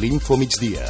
l'Info Migdia.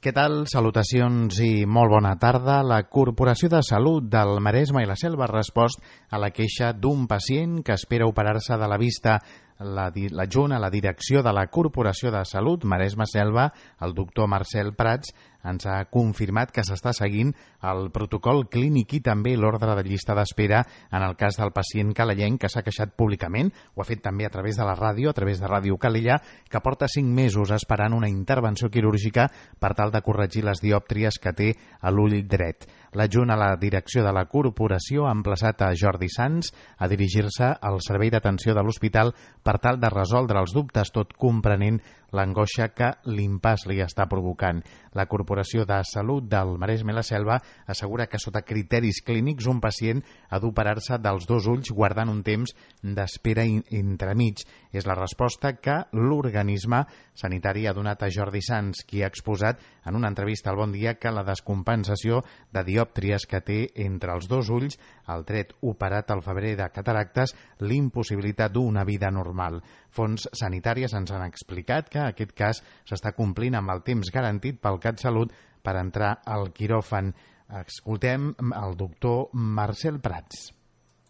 Què tal? Salutacions i molt bona tarda. La Corporació de Salut del Maresme i la Selva ha respost a la queixa d'un pacient que espera operar-se de la vista. L'adjunt a la direcció de la Corporació de Salut Maresme-Selva, el doctor Marcel Prats, ens ha confirmat que s'està seguint el protocol clínic i també l'ordre de llista d'espera en el cas del pacient calellenc que s'ha queixat públicament, ho ha fet també a través de la ràdio, a través de Ràdio Calella, que porta 5 mesos esperant una intervenció quirúrgica per tal de corregir les diòptries que té a l'ull dret. L'adjunt a la direcció de la corporació ha emplaçat a Jordi Sans a dirigir-se al servei d'atenció de l'hospital per tal de resoldre els dubtes, tot comprenent l'angoixa que l'impàs li està provocant. La Corporació de Salut del Maresme i la Selva assegura que sota criteris clínics un pacient ha d'operar-se dels 2 ulls guardant un temps d'espera entremig. És la resposta que l'organisme sanitari ha donat a Jordi Sans, qui ha exposat en una entrevista al Bon Dia que la descompensació de diòptries que té entre els 2 ulls, el dret operat al febrer de cataractes, l'impossibilitat d'una vida normal. Fonts sanitàries ens han explicat que aquest cas s'està complint amb el temps garantit pel CatSalut per entrar al quiròfan. Escoltem el doctor Marcel Prats.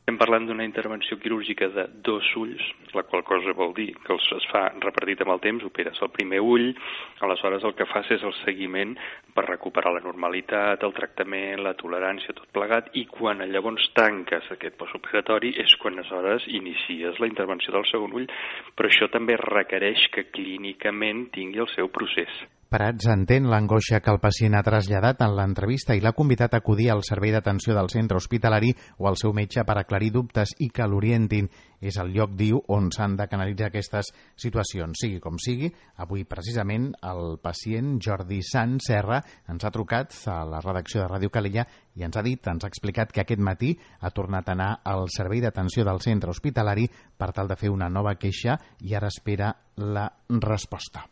Estem parlant d'una intervenció quirúrgica de 2 ulls, la qual cosa vol dir que es fa repartit amb el temps, operes el primer ull, aleshores el que fas és el seguiment per recuperar la normalitat, el tractament, la tolerància, tot plegat, i quan llavors tanques aquest postoperatori és quan aleshores inicies la intervenció del segon ull, però això també requereix que clínicament tingui el seu procés. Prats entén l'angoixa que el pacient ha traslladat en l'entrevista i l'ha convidat a acudir al servei d'atenció del centre hospitalari o al seu metge per aclarir dubtes i que l'orientin. És el lloc, diu, on s'han de canalitzar aquestes situacions. Sigui com sigui, avui precisament el pacient Jordi Sans Serra ens ha trucat a la redacció de Ràdio Calella i ens ha explicat que aquest matí ha tornat a anar al servei d'atenció del centre hospitalari per tal de fer una nova queixa i ara espera la resposta.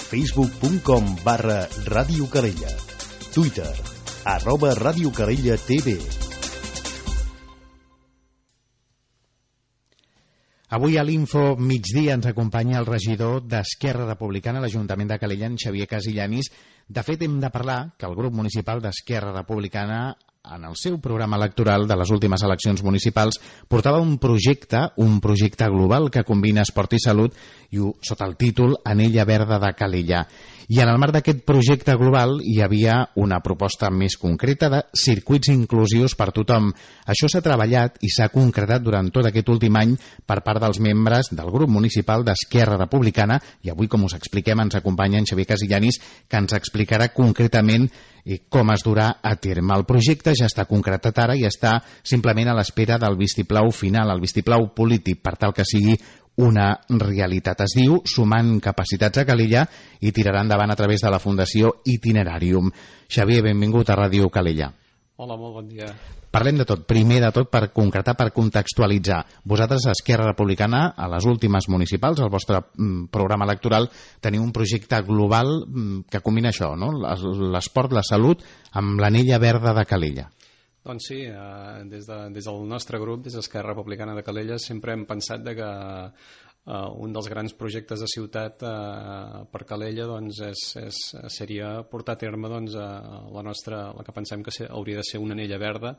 Facebook.com/Ràdio Calella. Twitter @Ràdio Calella TV. Avui a l'Info Migdia ens acompanya el regidor d'Esquerra Republicana a l'Ajuntament de Calella, en Xavier Casillanis. De fet, hem de parlar que el grup municipal d'Esquerra Republicana, en el seu programa electoral de les últimes eleccions municipals, portava un projecte global que combina esport i salut sota el títol Anella Verda de Calella. I en el marc d'aquest projecte global hi havia una proposta més concreta de circuits inclusius per tothom. Això s'ha treballat i s'ha concretat durant tot aquest últim any per part dels membres del grup municipal d'Esquerra Republicana i avui, com us expliquem, ens acompanya en Xavier Casillanis, que ens explicarà concretament com es durà a terme. El projecte ja està concretat ara i està simplement a l'espera del vistiplau final, el vistiplau polític, per tal que sigui una realitat. Es diu Sumant Capacitats a Calella i tirarà endavant a través de la Fundació Itinerarium. Xavier, benvingut a Ràdio Calella. Hola, molt bon dia. Parlem de tot. Primer de tot, per concretar, per contextualitzar. Vosaltres, a Esquerra Republicana, a les últimes municipals, al vostre programa electoral, teniu un projecte global que combina això, no? L'esport, la salut, amb l'Anella Verda de Calella. Doncs sí, des del nostre grup, des d'Esquerra Republicana de Calella, sempre hem pensat que un dels grans projectes de ciutat per Calella seria portar a terme la que pensem que hauria de ser una anella verda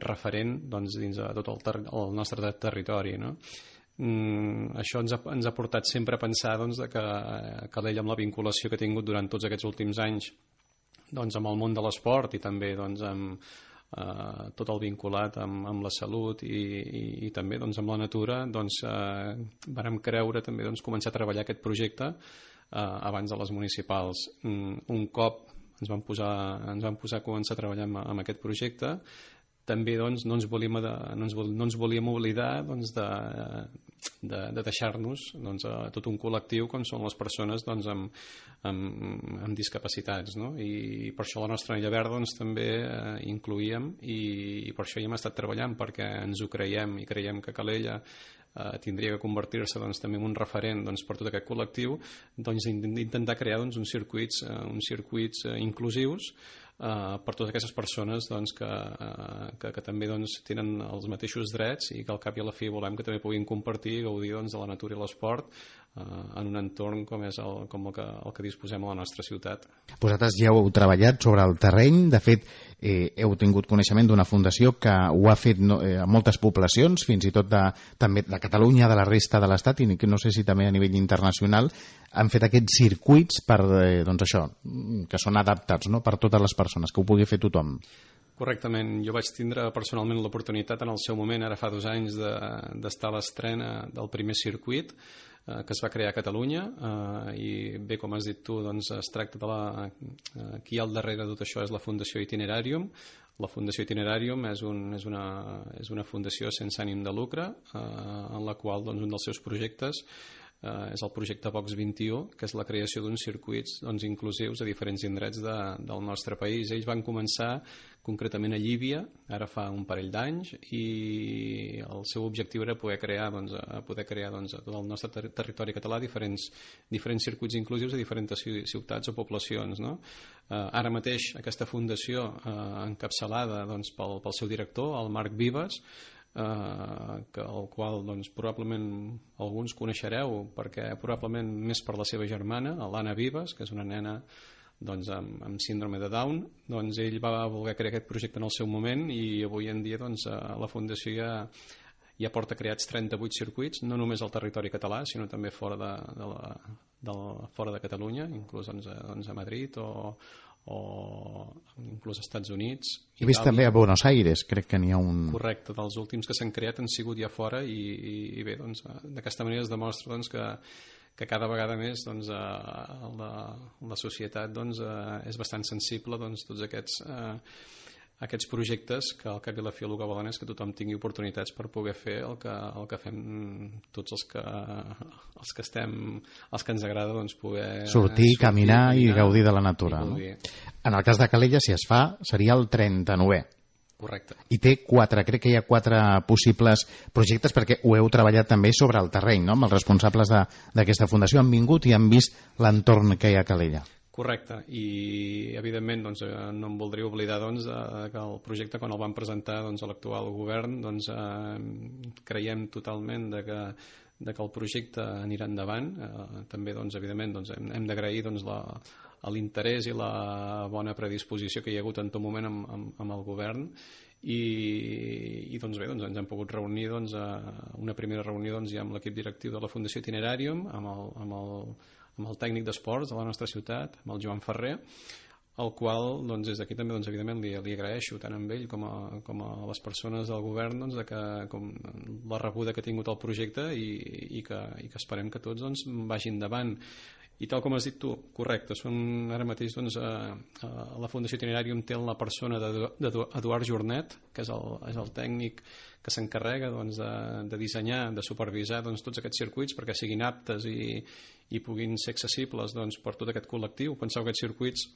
referent dins de tot el nostre territori, no? Això ens ha portat sempre a pensar que Calella, amb la vinculació que ha tingut durant tots aquests últims anys amb el món de l'esport i també amb tot el vinculat amb la salut i també amb la natura, vàrem creure també començar a treballar aquest projecte abans de les municipals. Un cop ens vam posar a començar a treballar amb aquest projecte, també no ens volíem oblidar de deixar-nos a tot un col·lectiu com són les persones amb discapacitats, no? I per això la nostra Anella Verda també incloïem i per això hi hem estat treballant, perquè ens ho creiem i creiem que Calella tindria que convertir-se també en un referent per tot aquest col·lectiu, intentar crear uns circuits inclusius per totes aquestes persones doncs, que també doncs, tenen els mateixos drets i que al cap i a la fi volem que també puguin compartir i gaudir doncs, de la natura i l'esport en un entorn com és el que disposem a la nostra ciutat. Vosaltres ja heu treballat sobre el terreny, de fet heu tingut coneixement d'una fundació que ho ha fet a moltes poblacions, fins i tot també de Catalunya, de la resta de l'Estat i no sé si també a nivell internacional han fet aquests circuits per, doncs això, que són adaptats, no?, per totes les persones, que ho pugui fer tothom. Correctament. Jo vaig tindre personalment l'oportunitat en el seu moment, ara fa 2 anys, d'estar a l'estrena del primer circuit que es va crear a Catalunya i bé, com has dit tu, doncs es tracta de qui hi ha al darrere de tot això és la Fundació Itinerarium. La Fundació Itinerarium és una fundació sense ànim de lucre en la qual doncs, un dels seus projectes és el projecte Box 21, que és la creació d'uns circuits doncs, inclusius a diferents indrets del nostre país. Ells van començar concretament a Llívia, ara fa un parell d'anys, i el seu objectiu era poder crear a tot el nostre territori català diferents circuits inclusius a diferents ciutats o poblacions. No? Ara mateix aquesta fundació encapçalada doncs, pel seu director, el Marc Vives, el qual doncs, probablement alguns coneixereu perquè probablement més per la seva germana, l'Anna Vives, que és una nena doncs, amb síndrome de Down. Doncs ell va voler crear aquest projecte en el seu moment i avui en dia doncs, la Fundació ja porta creats 38 circuits, no només al territori català sinó també fora de Catalunya, inclús doncs, a Madrid o inclús als Estats Units. He vist també a Buenos Aires, crec que n'hi ha un... Correcte, dels últims que s'han creat han sigut ja fora i bé, doncs, d'aquesta manera es demostra doncs, que cada vegada més doncs, la societat doncs, és bastant sensible doncs, tots aquests projectes que al cap i a la fi el que volen és que tothom tingui oportunitats per poder fer el que fem tots els que ens agrada doncs, poder sortir, caminar i gaudir de la natura. No? En el cas de Calella, si es fa, seria el 39è. Correcte. I té crec que hi ha 4 possibles projectes perquè ho heu treballat també sobre el terreny, no? Amb els responsables d'aquesta fundació han vingut i han vist l'entorn que hi ha a Calella. Correcte, i evidentment doncs, no em voldria oblidar doncs, que el projecte quan el van presentar doncs, a l'actual govern doncs, creiem totalment que el projecte anirà endavant. També doncs, evidentment doncs, hem d'agrair doncs, l'interès i la bona predisposició que hi ha hagut en tot moment amb el govern i doncs bé, doncs, ens hem pogut reunir doncs, una primera reunió doncs, ja amb l'equip directiu de la Fundació Itinerarium, amb el tècnic d'esports de la nostra ciutat, amb el Joan Ferrer, el qual doncs, des d'aquí també doncs, evidentment li agraeixo tant a ell com a les persones del govern doncs, com la rebuda que ha tingut el projecte i que esperem que tots doncs, vagi endavant. I tal com has dit tu, correcte, són ara mateix doncs, la Fundació Itinerarium té la persona d'Eduard Jornet, que és el tècnic que s'encarrega doncs, de dissenyar, de supervisar doncs, tots aquests circuits perquè siguin aptes i puguin ser accessibles doncs, per tot aquest col·lectiu. Penseu que aquests circuits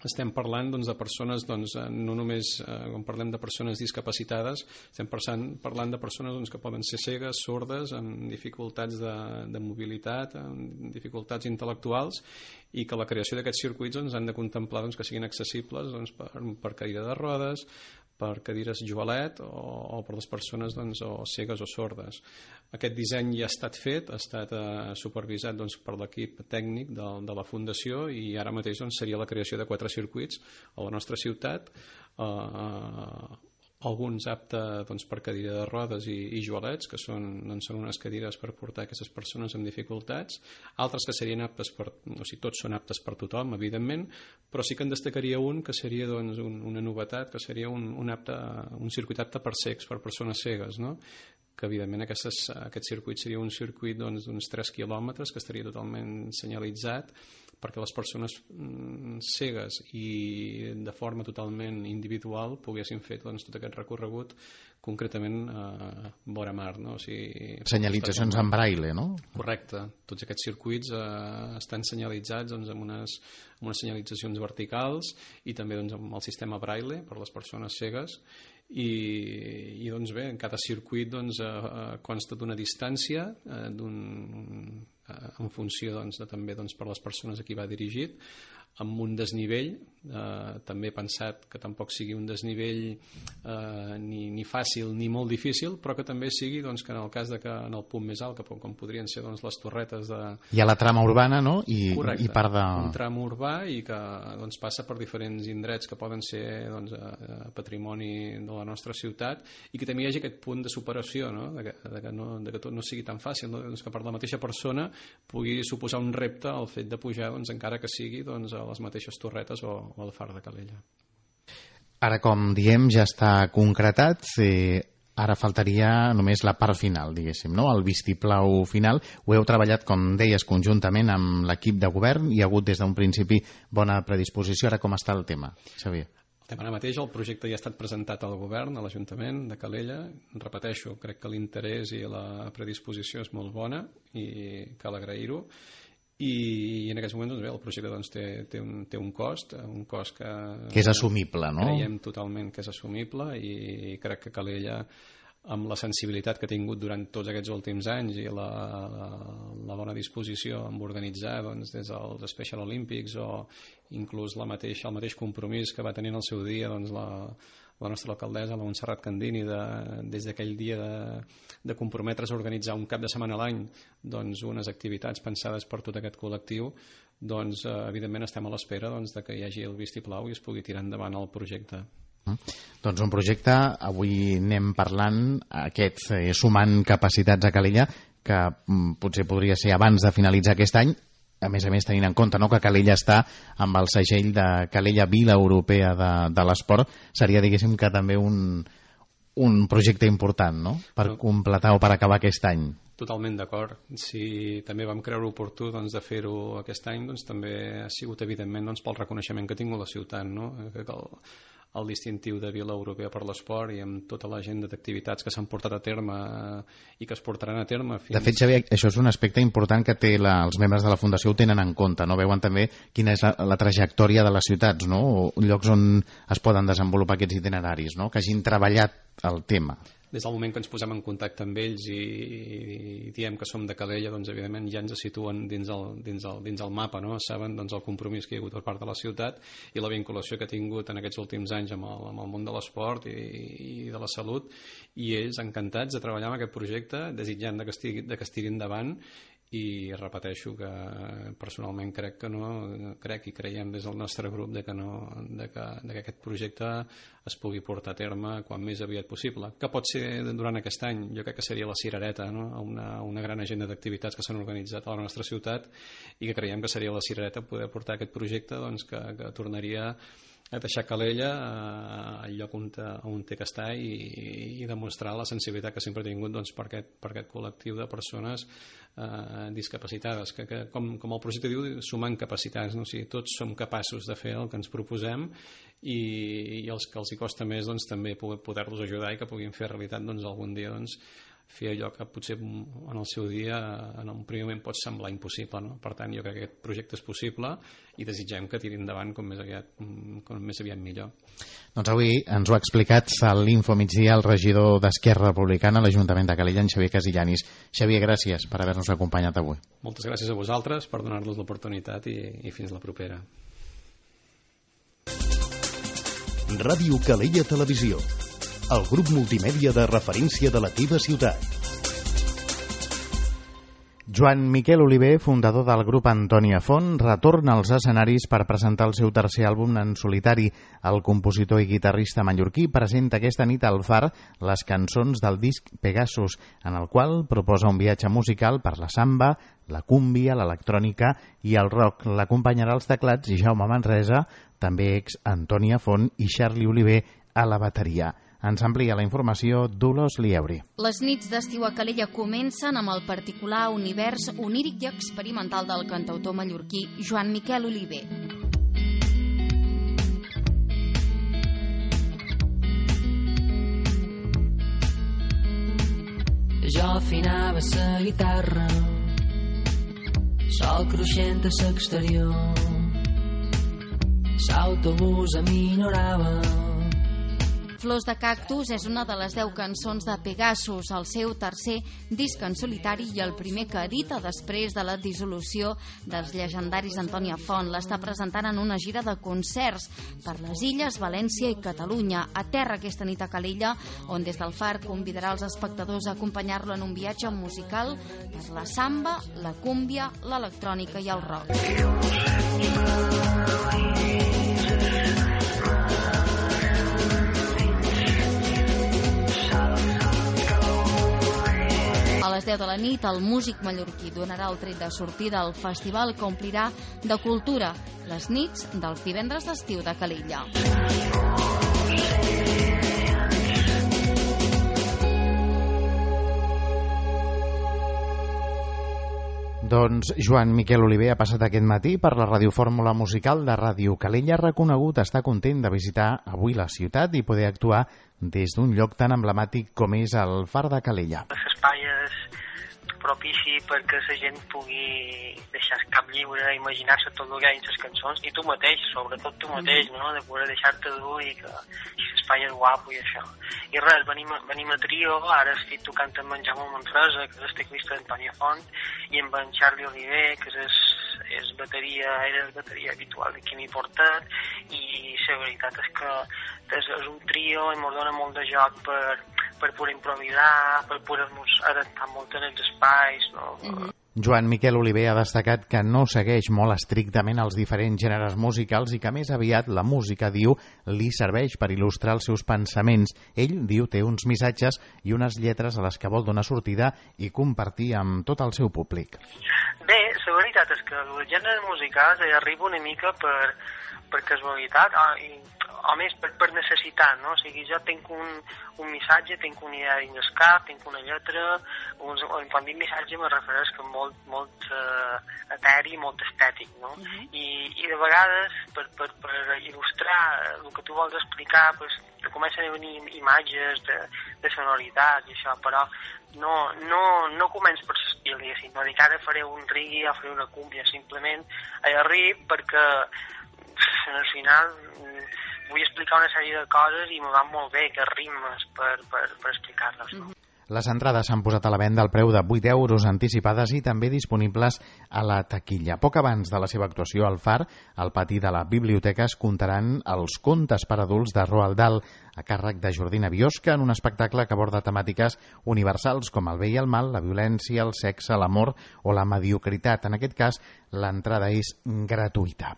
estem parlant doncs, de persones, doncs, no només quan parlem de persones discapacitades, estem parlant de persones doncs, que poden ser cegues, sordes, amb dificultats de mobilitat, amb dificultats intel·lectuals, i que la creació d'aquests circuits doncs, han de contemplar doncs, que siguin accessibles doncs, per cadira de rodes, per cadires jovelet o per les persones doncs, o cegues o sordes. Aquest disseny ja ha estat fet, ha estat supervisat doncs, per l'equip tècnic de la Fundació i ara mateix doncs, seria la creació de 4 circuits a la nostra ciutat, alguns aptes doncs, per cadira de rodes i joalets, que són unes cadires per portar aquestes persones amb dificultats, altres que serien aptes tots són aptes per tothom, evidentment, però sí que en destacaria un que seria doncs, una novetat, que seria un circuit apte per cecs, per persones cegues, no? Que evidentment aquest circuit seria un circuit d'uns 3 quilòmetres que estaria totalment senyalitzat perquè les persones cegues i de forma totalment individual poguessin fer doncs, tot aquest recorregut concretament vora mar, no? O sigui, senyalitzacions en braille, no? Correcte, tots aquests circuits estan senyalitzats doncs, amb unes senyalitzacions verticals i també doncs, amb el sistema braille per les persones cegues i doncs bé, en cada circuit doncs, consta d'una distància en funció doncs, també doncs, per les persones a qui va dirigit. amb un desnivell, també he pensat que tampoc sigui un desnivell ni fàcil ni molt difícil, però que també sigui doncs, que en el cas de que en el punt més alt, com podrien ser doncs, les torretes de... Hi ha la trama urbana, no? Correcte, i part de... un tram urbà i que doncs, passa per diferents indrets que poden ser doncs, patrimoni de la nostra ciutat i que també hi hagi aquest punt de superació, no? de que tot no sigui tan fàcil, no? Doncs que per la mateixa persona pugui suposar un repte el fet de pujar, doncs, encara que sigui doncs, a les mateixes torretes o al far de Calella. Ara, com diem, ja està concretat, ara faltaria només la part final, diguéssim, no? El vistiplau final. Ho heu treballat, com deies, conjuntament amb l'equip de govern, hi ha hagut des d'un principi bona predisposició. Ara com està el tema, Xavier? Ara mateix el projecte ja ha estat presentat al govern, a l'Ajuntament de Calella. Repeteixo, crec que l'interès i la predisposició és molt bona i cal agrair-ho. I en aquests moments doncs, el projecte doncs, té un cost que és assumible, no? Creiem totalment que és assumible i crec que Calella, amb la sensibilitat que ha tingut durant tots aquests últims anys i la bona disposició amb organitzar doncs, des dels Special Olympics o inclús el mateix compromís que va tenir en el seu dia doncs, la nostra alcaldessa, la Montserrat Candini, des d'aquell dia de comprometre's a organitzar un cap de setmana a l'any doncs, unes activitats pensades per tot aquest col·lectiu, doncs, evidentment estem a l'espera doncs, de que hi hagi el vistiplau i es pugui tirar endavant el projecte. Doncs un projecte, avui anem parlant, sumant capacitats a Calella, que potser podria ser abans de finalitzar aquest any, a més tenint en compte, no, que Calella està amb el segell de Calella Vila Europea de l'Esport, seria, diguéssim, que també un projecte important, no?, per completar o per acabar aquest any. Totalment d'acord. Si també vam creure oportú doncs, de fer-ho aquest any, doncs, també ha sigut, evidentment, doncs, pel reconeixement que ha tingut la ciutat, no?, el distintiu de Vila Europea per l'Esport i amb tota l'agenda d'activitats que s'han portat a terme i que es portaran a terme fins... De fet, Xavier, això és un aspecte important que els membres de la Fundació ho tenen en compte, no? Veuen també quina és la trajectòria de les ciutats, no? O llocs on es poden desenvolupar aquests itineraris, no? Que hagin treballat el tema. Des del moment que ens posem en contacte amb ells i diem que som de Calella, doncs evidentment ja ens situen dins el mapa, no? Saben doncs, el compromís que hi ha hagut per part de la ciutat i la vinculació que ha tingut en aquests últims anys amb el món de l'esport i de la salut, i ells encantats de treballar en aquest projecte, desitjant que estigui endavant. I repeteixo que personalment crec i creiem des del nostre grup que aquest projecte es pugui portar a terme quan més aviat possible, que pot ser durant aquest any. Jo crec que seria la cirereta, no? Una gran agenda d'activitats que s'han organitzat a la nostra ciutat i que creiem que seria la cirereta poder portar aquest projecte doncs, que tornaria a deixar Calella al lloc on té que estar i demostrar la sensibilitat que sempre ha tingut doncs, per aquest col·lectiu de persones discapacitades, que com el projecte diu, sumant capacitats, no? O sigui, tots som capaços de fer el que ens proposem i els que els hi costa més doncs, també poder-los ajudar i que puguin fer realitat doncs, algun dia doncs, fer allò que potser en el seu dia en un primer moment pot semblar impossible, no? Per tant, jo crec que aquest projecte és possible i desitgem que tiri endavant com més aviat millor. Doncs avui ens ho ha explicat a l'Info Migdia el regidor d'Esquerra Republicana a l'Ajuntament de Calella, en Xavier Casillanis. Xavier, gràcies per haver-nos acompanyat avui. Moltes gràcies a vosaltres per donar-nos l'oportunitat i fins la propera. Ràdio Calella Televisió, el grup multimèdia de referència de la teva ciutat. Joan Miquel Oliver, fundador del grup Antònia Font, retorna als escenaris per presentar el seu tercer àlbum en solitari. El compositor i guitarrista mallorquí presenta aquesta nit al Far les cançons del disc Pegasus, en el qual proposa un viatge musical per la samba, la cúmbia, l'electrònica i el rock. L'acompanyarà als teclats Jaume Manresa, també ex Antònia Font, i Charlie Oliver a la bateria. Ens amplia la informació Dolors Lieuri. Les nits d'estiu a Calella comencen amb el particular univers oníric i experimental del cantautor mallorquí Joan Miquel Oliver. Jo afinava la guitarra, sol cruixent a l'exterior, l'autobús aminorava, Flors de cactus és una de les 10 cançons de Pegasus, el seu tercer disc en solitari i el primer que edita després de la dissolució dels llegendaris Antònia Font. L'està presentant en una gira de concerts per les Illes, València i Catalunya. Aterra aquesta nit a Calella, on des del Far convidarà els espectadors a acompanyar-lo en un viatge musical per la samba, la cúmbia, l'electrònica i el rock. A les 10 de la nit, el músic mallorquí donarà el tret de sortida al festival que omplirà de cultura les nits dels divendres d'estiu de Calella. Doncs Joan Miquel Oliver ha passat aquest matí per la radiofórmula musical de Ràdio Calella. Reconegut, està content de visitar avui la ciutat i poder actuar des d'un lloc tan emblemàtic com és el Far de Calella. L'espai és propici perquè la gent pugui deixar el cap lliure, imaginar-se tot el que hi ha en les cançons, i tu mateix, sobretot tu mateix, no? De poder deixar-te dur i que l'espai és guapo i això. I res, venim a trio, ara estic tocant amb en Jaume Manresa, que és el teclista d'Antònia Font, i amb en Charlie Oliver, que era el bateria habitual de Quimi Portet, i la veritat és que és un trio i ens dona molt de joc per poder improvisar, per poder-nos adaptar molt en els espais, no? Joan Miquel Oliver ha destacat que no segueix molt estrictament els diferents gèneres musicals i que més aviat la música, diu, li serveix per il·lustrar els seus pensaments. Ell, diu, té uns missatges i unes lletres a les que vol donar sortida i compartir amb tot el seu públic. Bé, la veritat és que els gèneres musicals arriba una mica per casualitat o més per necessitat, no? O sigui, jo tinc un missatge, tinc una idea dins el cap, tinc una lletra, quan dic missatge me refereix que molt eteri, molt estètic, no? I de vegades, per il·lustrar el que tu vols explicar, pues, te comencen a venir imatges de sonoritat i això, però no començo per l'estil, diguéssim, no dic ara faré un reggae o faré una cúmbia, simplement arribo perquè al final vull explicar una sèrie de coses i me van molt bé que ritmes per explicar-les, no? Les entrades s'han posat a la venda al preu de 8 euros anticipades i també disponibles a la taquilla. Poc abans de la seva actuació al Far, al pati de la biblioteca es contaran els contes per adults de Roald Dahl a càrrec de Jordina Biosca en un espectacle que aborda temàtiques universals com el bé i el mal, la violència, el sexe, l'amor o la mediocritat. En aquest cas, l'entrada és gratuïta.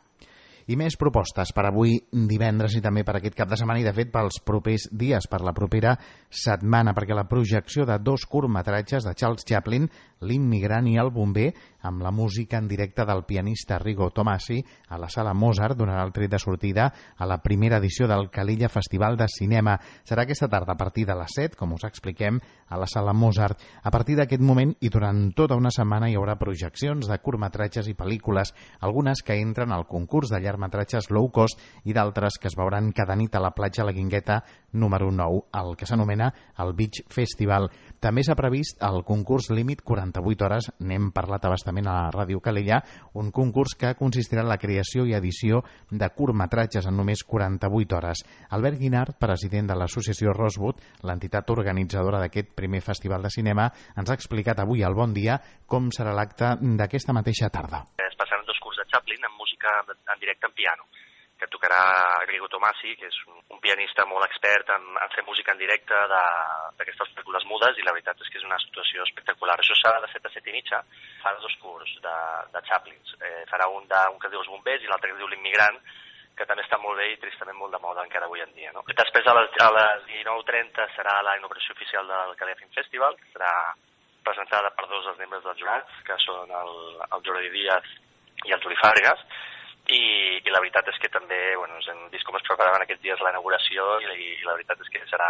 I més propostes per avui divendres i també per aquest cap de setmana i, de fet, pels propers dies, per la propera setmana, perquè la projecció de 2 curtmetratges de Charles Chaplin, L'immigrant i el bomber, amb la música en directe del pianista Rigo Tomasi a la Sala Mozart, donarà el tret de sortida a la primera edició del Calella Festival de Cinema. Serà aquesta tarda a partir de les 7, com us expliquem, a la Sala Mozart. A partir d'aquest moment i durant tota una setmana hi haurà projeccions de curtmetratges i pel·lícules, algunes que entren al concurs de llargmetratges low cost i d'altres que es veuran cada nit a la platja La Guingueta número 9, el que s'anomena el Beach Festival. També s'ha previst el concurs límit 48 hores, n'hem parlat abastament a la Ràdio Calella, un concurs que consistirà en la creació i edició de curtmetratges en només 48 hores. Albert Guinart, president de l'associació Rosewood, l'entitat organitzadora d'aquest primer festival de cinema, ens ha explicat avui al Bon Dia com serà l'acte d'aquesta mateixa tarda. Es passaran 2 curts de Chaplin amb música en directe en piano, que tocarà Rigo Tomasi, que és un pianista molt expert en fer música en directe d'aquestes pel·lícules mudes, i la veritat és que és una situació espectacular. Això serà de 7 a 7 i mitja, farà 2 curts de Chaplin. Farà un que es diu Els bombers i l'altre que es diu L'immigrant, que també està molt bé i tristament molt de moda encara avui en dia, no? Després a les 19:30 serà la inauguració oficial del Calella Film Festival, que serà presentada per 2 dels membres dels jurats, que són el Jordi Díaz i el Juli Fargas, i la veritat és que també ens hem vist com es preparaven aquests dies la inauguració i la veritat és que serà...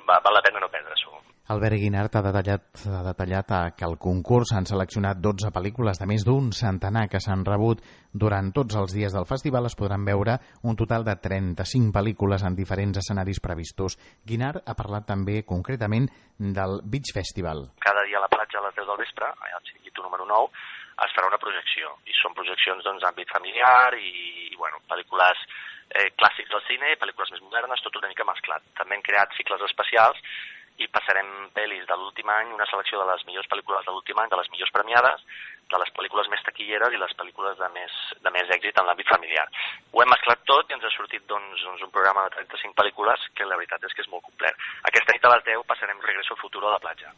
val la pena no perdre-s'ho. Albert Guinart ha detallat que al concurs s'han seleccionat 12 pel·lícules de més d'un centenar que s'han rebut. Durant tots els dies del festival es podran veure un total de 35 pel·lícules en diferents escenaris previstos. Guinart ha parlat també concretament del Beach Festival. Cada dia a la platja a les 10 del vespre, al xiringuito número 9, es farà una projecció, i són projeccions d'àmbit familiar i pel·lícules clàssics del cine, pel·lícules més modernes, tot una mica mesclat. També hem creat cicles especials i passarem pel·lis de l'últim any, una selecció de les millors pel·lícules de l'últim any, de les millors premiades, de les pel·lícules més taquilleres i les pel·lícules de més èxit en l'àmbit familiar. Ho hem mesclat tot i ens ha sortit doncs, un programa de 35 pel·lícules que la veritat és que és molt complet. Aquesta nit a les 10 passarem Regreso al futuro a la platja.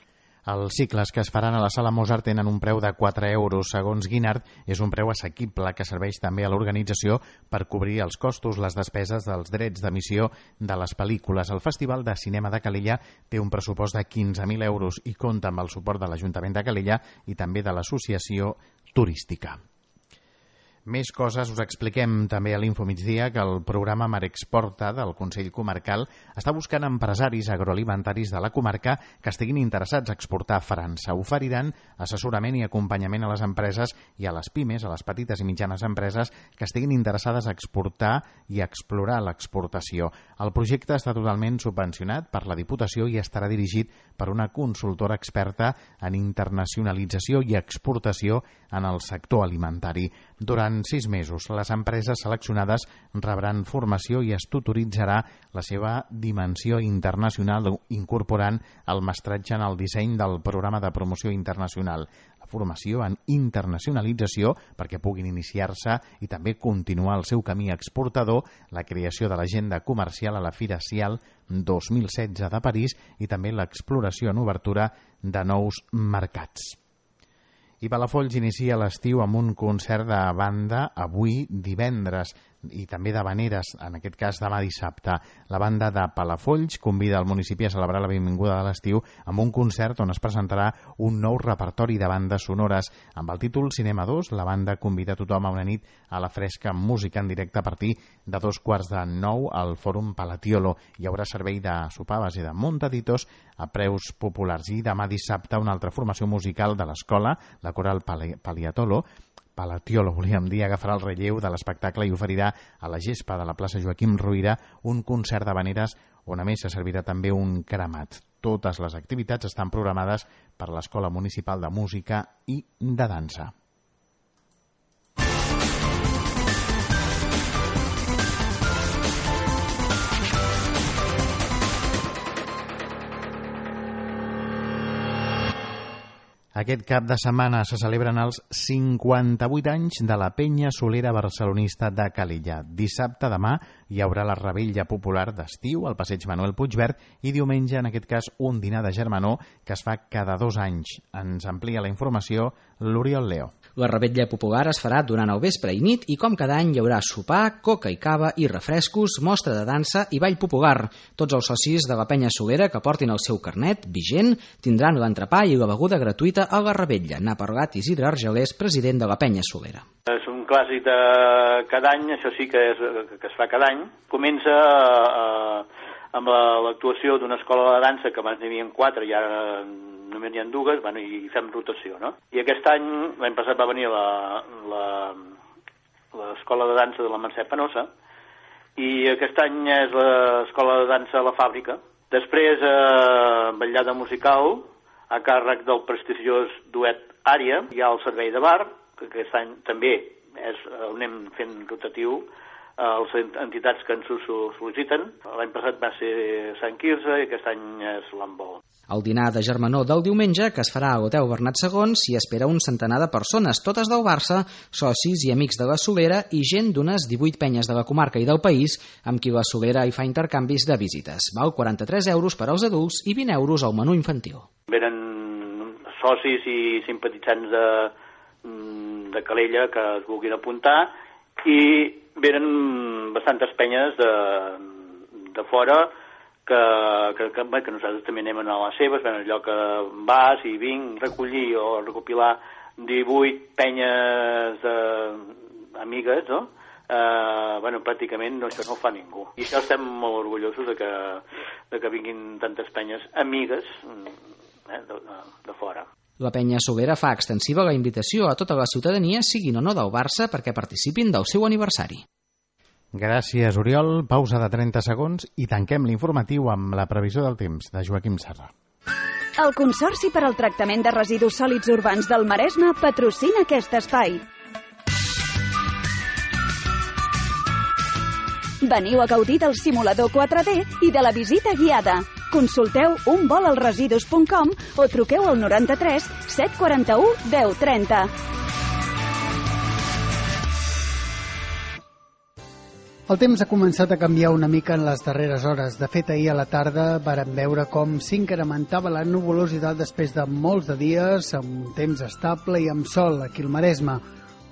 Els cicles que es faran a la Sala Mozart tenen un preu de 4 euros. Segons Guinard, és un preu assequible que serveix també a l'organització per cobrir els costos, les despeses dels drets d'emissió de les pel·lícules. El Festival de Cinema de Calella té un pressupost de 15.000 euros i compta amb el suport de l'Ajuntament de Calella i també de l'Associació Turística. Més coses us expliquem també a l'Infomigdia que el programa Marexporta del Consell Comarcal està buscant empresaris agroalimentaris de la comarca que estiguin interessats a exportar a França. Oferiran assessorament i acompanyament a les empreses i a les pimes, a les petites i mitjanes empreses que estiguin interessades a exportar i a explorar l'exportació. El projecte està totalment subvencionat per la Diputació i estarà dirigit per una consultora experta en internacionalització i exportació en el sector alimentari. Durant 6 mesos, les empreses seleccionades rebran formació i es tutoritzarà la seva dimensió internacional incorporant el mestratge en el disseny del programa de promoció internacional, la formació en internacionalització perquè puguin iniciar-se i també continuar el seu camí exportador, la creació de l'agenda comercial a la Fira Cial 2016 de París i també l'exploració en obertura de nous mercats. I Palafolls inicia l'estiu amb un concert de banda avui divendres i també d'havaneres, en aquest cas demà dissabte. La banda de Palafolls convida el municipi a celebrar la benvinguda de l'estiu amb un concert on es presentarà un nou repertori de bandes sonores. Amb el títol Cinema 2, la banda convida tothom a una nit a la fresca amb música en directe a partir de 8:45 al Fòrum Palatiolo. Hi haurà servei de sopar a base de montaditos a preus populars. I demà dissabte una altra formació musical de l'escola, la coral Palatiolo, volíem dir, agafarà el relleu de l'espectacle i oferirà a la gespa de la plaça Joaquim Ruyra un concert d'havaneres on a més se servirà també un cremat. Totes les activitats estan programades per l'Escola Municipal de Música i de Dansa. Aquest cap de setmana se celebren els 58 anys de la Penya Solera Barcelonista de Calella. Dissabte, demà, hi haurà la revetlla popular d'estiu al passeig Manuel Puigverd i diumenge, en aquest cas, un dinar de germanor que es fa cada 2 anys. Ens amplia la informació l'Oriol Leo. La revetlla popular es farà durant el vespre i nit i com cada any hi haurà sopar, coca i cava i refrescos, mostra de dansa i ball popular. Tots els socis de la Penya Solera que portin el seu carnet vigent tindran l'entrepà i la beguda gratuïta a la revetlla. N'ha parlat Isidre Argelers, president de la Penya Solera. És un clàssic de cada any, això sí que es fa cada any. Comença amb l'actuació d'una escola de dansa que abans n'hi havia 4 i ara només n'hi ha 2, bueno, i fem rotació, no? I aquest any, l'any passat va venir l'escola de dansa de la Mercè Penosa i aquest any és l'escola de dansa a la Fàbrica. Després, ballada musical a càrrec del prestigiós duet Ària. Hi ha el servei de bar, que aquest any també anem fent rotatiu a les entitats que ens ho sol·liciten. L'any passat va ser Sant Quirze i aquest any és l'Handbol. Al dinar de germanor del diumenge, que es farà a l'Hotel Bernat II, s'hi espera un centenar de persones, totes del Barça, socis i amics de la Solera i gent d'unes 18 penyes de la comarca i del país, amb qui la Solera hi fa intercanvis de visites. Val 43 euros per als adults i 20 euros al menú infantil. Venen socis i simpatitzants de Calella que es vulguin apuntar i venen bastantes penyes de fora que nosaltres també anem a les seves, en allò que vas i vinc recollir o recopilar 18 penyes amigues, no? Pràcticament això no ho fa ningú. I això estem molt orgullosos de que vinguin tantes penyes amigues de fora. La Penya Solera fa extensiva la invitació a tota la ciutadania, siguin o no del Barça, perquè participin del seu aniversari. Gràcies, Oriol. Pausa de 30 segons i tanquem l'informatiu amb la previsió del temps de Joaquim Serra. El Consorci per al Tractament de Residus Sòlids Urbans del Maresme patrocina aquest espai. Veniu a gaudir del simulador 4D i de la visita guiada. Consulteu unvolalresidus.com o truqueu al 93 741 1030. El temps ha començat a canviar una mica en les darreres hores. De fet, ahir a la tarda vàrem veure com s'incrementava la nuvolositat després de molts de dies, amb un temps estable i amb sol aquí al Maresme.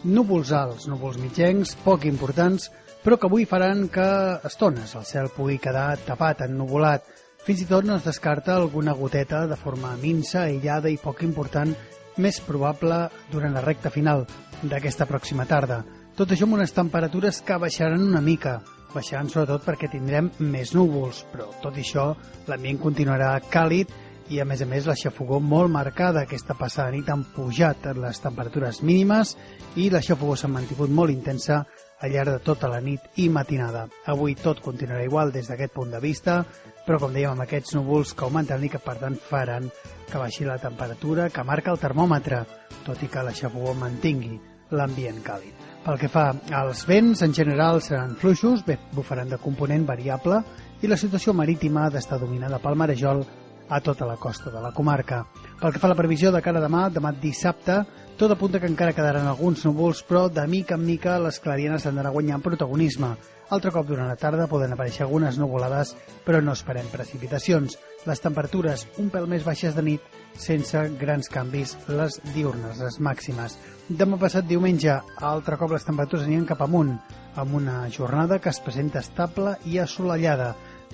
Núvols alts, núvols mitjencs, poc importants, però que avui faran que a estones el cel pugui quedar tapat, ennuvolat. Fins i tot no es descarta alguna goteta de forma minsa, aïllada i poc important, més probable durant la recta final d'aquesta pròxima tarda. Tot això amb unes temperatures que baixaran una mica. Baixaran sobretot perquè tindrem més núvols, però tot això l'ambient continuarà càlid i a més la xafogor molt marcada. Aquesta passada nit han pujat les temperatures mínimes i la xafogor s'ha mantingut molt intensa al llarg de tota la nit i matinada. Avui tot continuarà igual des d'aquest punt de vista, però com dèiem amb aquests núvols que augmenten i que per tant faran que baixi la temperatura que marca el termòmetre, tot i que la xafogor mantingui l'ambient càlid. Pel que fa als vents, en general seran fluixos, bufaran de component variable i la situació marítima ha d'estar dominada pel marejol a tota la costa de la comarca. Pel que fa a la previsió de cara a demà dissabte, tot apunta que encara quedaran alguns núvols, però de mica en mica les clarianes han d'anar guanyant protagonisme. Altre cop durant la tarda poden aparèixer algunes nuvolades, però no esperem precipitacions. Les temperatures un pèl més baixes de nit, sense grans canvis les diurnes, les màximes. Demà passat diumenge, altre cop les temperatures aniran cap amunt, amb una jornada que es presenta estable i assolellada.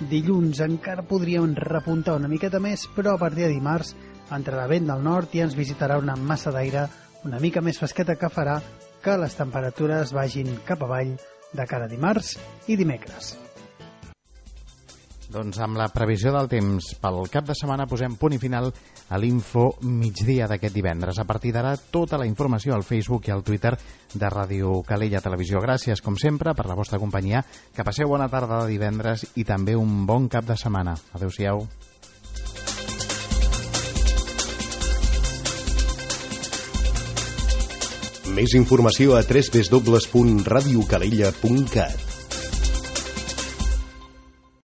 Dilluns encara podríem repuntar una miqueta més, però a partir de dimarts entrarà vent del nord i ens visitarà una massa d'aire una mica més fresqueta que farà que les temperatures vagin cap avall de cara a dimarts i dimecres. Doncs amb la previsió del temps pel cap de setmana posem punt i final a l'Info migdia d'aquest divendres. A partir d'ara, tota la informació al Facebook i al Twitter de Ràdio Calella Televisió. Gràcies, com sempre, per la vostra companyia. Que passeu bona tarda de divendres i també un bon cap de setmana. Adéu-siau. Més informació a www.radiocalella.cat.